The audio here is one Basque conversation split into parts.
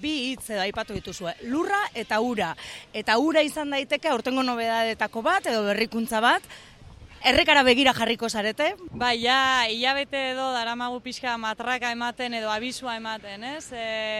Bi hitz edo aipatu dituzue, lurra eta ura. Eta ura izan daiteke aurtengo nobedadetako bat edo berrikuntza bat. Errekara begira jarriko zarete? Bai, ja, hilabete edo daramagu pixka matraka ematen edo abisua ematen, ez?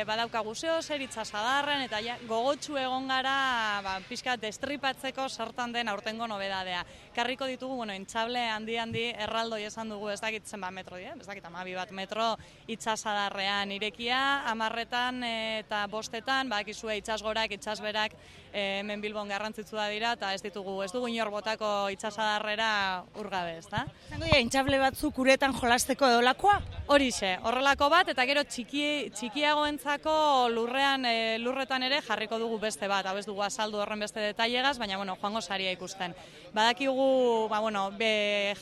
Badaukagu zeo zer itsasadarren eta ja, gogotsu egon gara pixka destripatzeko zertan den aurtengo nobedadea. Karriko ditugu, intxable handi erraldoi esan dugu, ez dakit zenbat metro dira, ez dakit 12 bat metro itsasadarrean irekia, 10etan eta 5etan, bakizue itsasgorak, itsasberak hemen Bilbon garrantzitsua dira eta ez dugu inor botako itsasadarrera urgabe, ezta? Zango dira, intxable batzuk uretan jolasteko edolakoa? Horixe, horrelako bat, eta gero txikiagoentzako lurretan ere jarriko dugu beste bat, hau ez dugu azaldu horren beste detailegaz, baina joango saria ikusten. Badakigu,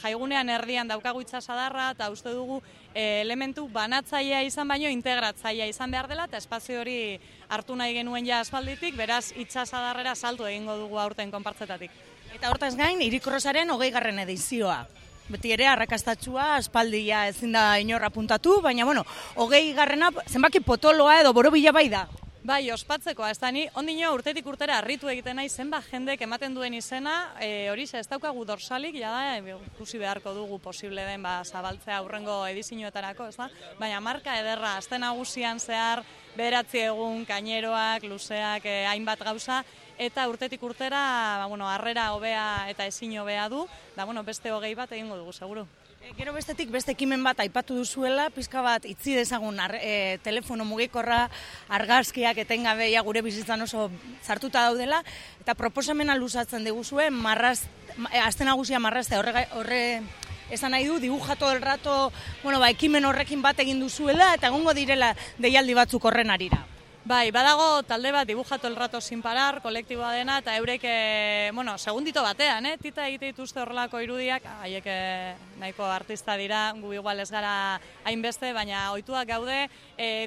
jaigunean erdian daukagu itsasadarra, eta uste dugu elementu banatzailea izan baino integratzailea izan behar dela, eta espazio hori hartu nahi genuen ja aspalditik, beraz itsasadarrera saltu egingo dugu aurten konpartzetatik. Eta hortaz gain, Hirikrosaren 20. edizioa. Beti ere, arrakastatsua, aspaldia ezin da inor apuntatu, baina 20. zenbaki potoloa edo borobila bai da. Bai, ospatzekoa, ez da ni, ondino urtetik urtera harritu egiten nahi zenbat jendek ematen duen izena, horixe ez daukagu dorsalik, jada, ikusi beharko dugu posible den zabaltzea aurrengo edizioetarako, ez da? Baina marka ederra, aste nagusian zehar, 9 egun, kaineroak, luzeak, hainbat gauza, eta urtetik urtera, harrera hobea eta ezin hobea du, da, beste 20 bat egingo dugu, seguru. Gero bestetik beste ekimen bat aipatu duzuela, pizka bat itzi dezagun telefono mugikorra, argazkiak etengabe gure bizitzan oso sartuta daudela, eta proposamena luzatzen diguzue, aste nagusia marraztea horre esan nahi du, dibuja todo el rato, ekimen horrekin bat egin duzuela, eta egongo direla deialdi batzuk horren arira. Bai, badago talde bat dibujatu el rato sin parar, kolektiboa dena, eta eurek, segundito batean, tita egite dituzte horrelako irudiak, haiek nahiko artista dira, gu igual ez gara hainbeste, baina ohituak gaude,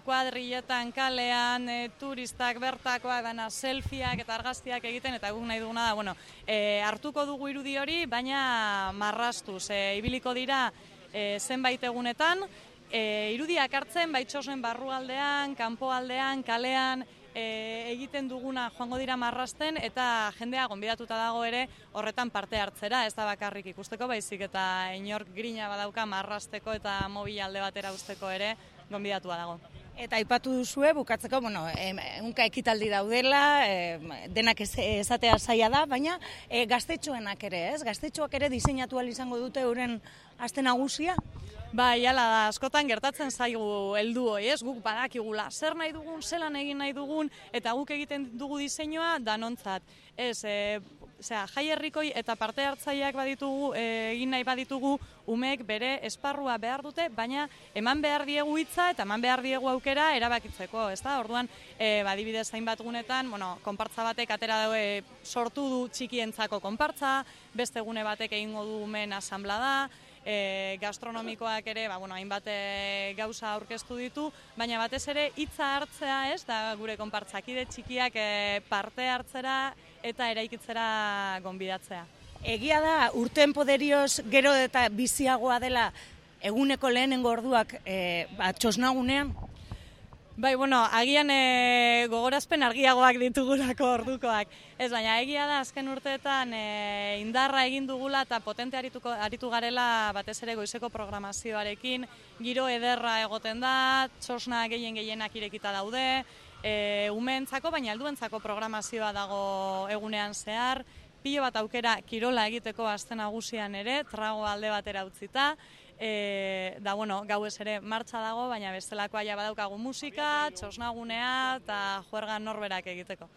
kuadrilletan, kalean, turistak, bertakoak, selfieak eta argazkiak egiten, eta guk nahi duguna da, hartuko dugu irudi hori, baina marrastuz, ibiliko dira zenbait egunetan, irudiak hartzen, baitxosen barrualdean, kanpoaldean, kalean, egiten duguna joango dira marrasten, eta jendea gonbidatuta dago ere horretan parte hartzera, ez da bakarrik ikusteko, baizik eta inork grina badauka marrasteko eta mobil alde batera usteko ere gonbidatua dago. Eta aipatu duzue, bukatzeko, ehunka ekitaldi daudela, denak esatea zaila da, baina gaztetxoenak ere, ez? Gaztetxoak ere diseinatu ahal izango dute euren aste nagusia? Bai, hala da, askotan gertatzen zaigu heldu hori, ez? Guk badakigula, zer nahi dugun, zelan egin nahi dugun, eta guk egiten dugu diseinua danontzat. Ez, jai herrikoi eta parte hartzaileak baditugu, egin nahi baditugu, umek bere esparrua behar dute, baina eman behar diegu hitza eta eman behar diegu aukera erabakitzeko, ez da? Orduan, adibidez hainbat gunetan, konpartza batek atera daue sortu du txikientzako konpartza, beste gune batek egingo du umen asanblada, gastronomikoak ere, hainbat gauza aurkeztu ditu, baina batez ere hitza hartzea, ez, da gure konpartzakide txikiak parte hartzera eta eraikitzera gonbidatzea. Egia da, urteen poderioz gero eta biziagoa dela eguneko lehenengo orduak txosnagunean? Bai, agian gogorazpen argiagoak ditugulako ordukoak. Ez, baina egia da, azken urteetan indarra egin dugula eta potente aritu garela batez ere goizeko programazioarekin, giro ederra egoten da, txosna gehienak irekita daude, umeentzako, baina helduentzako programazioa dago egunean zehar, pilo bat aukera kirola egiteko aste nagusian ere, trago alde batera utzita, gauez ere martxa dago, baina bestelakoa badaukagu musika, txosnagunea eta juergan norberak egiteko.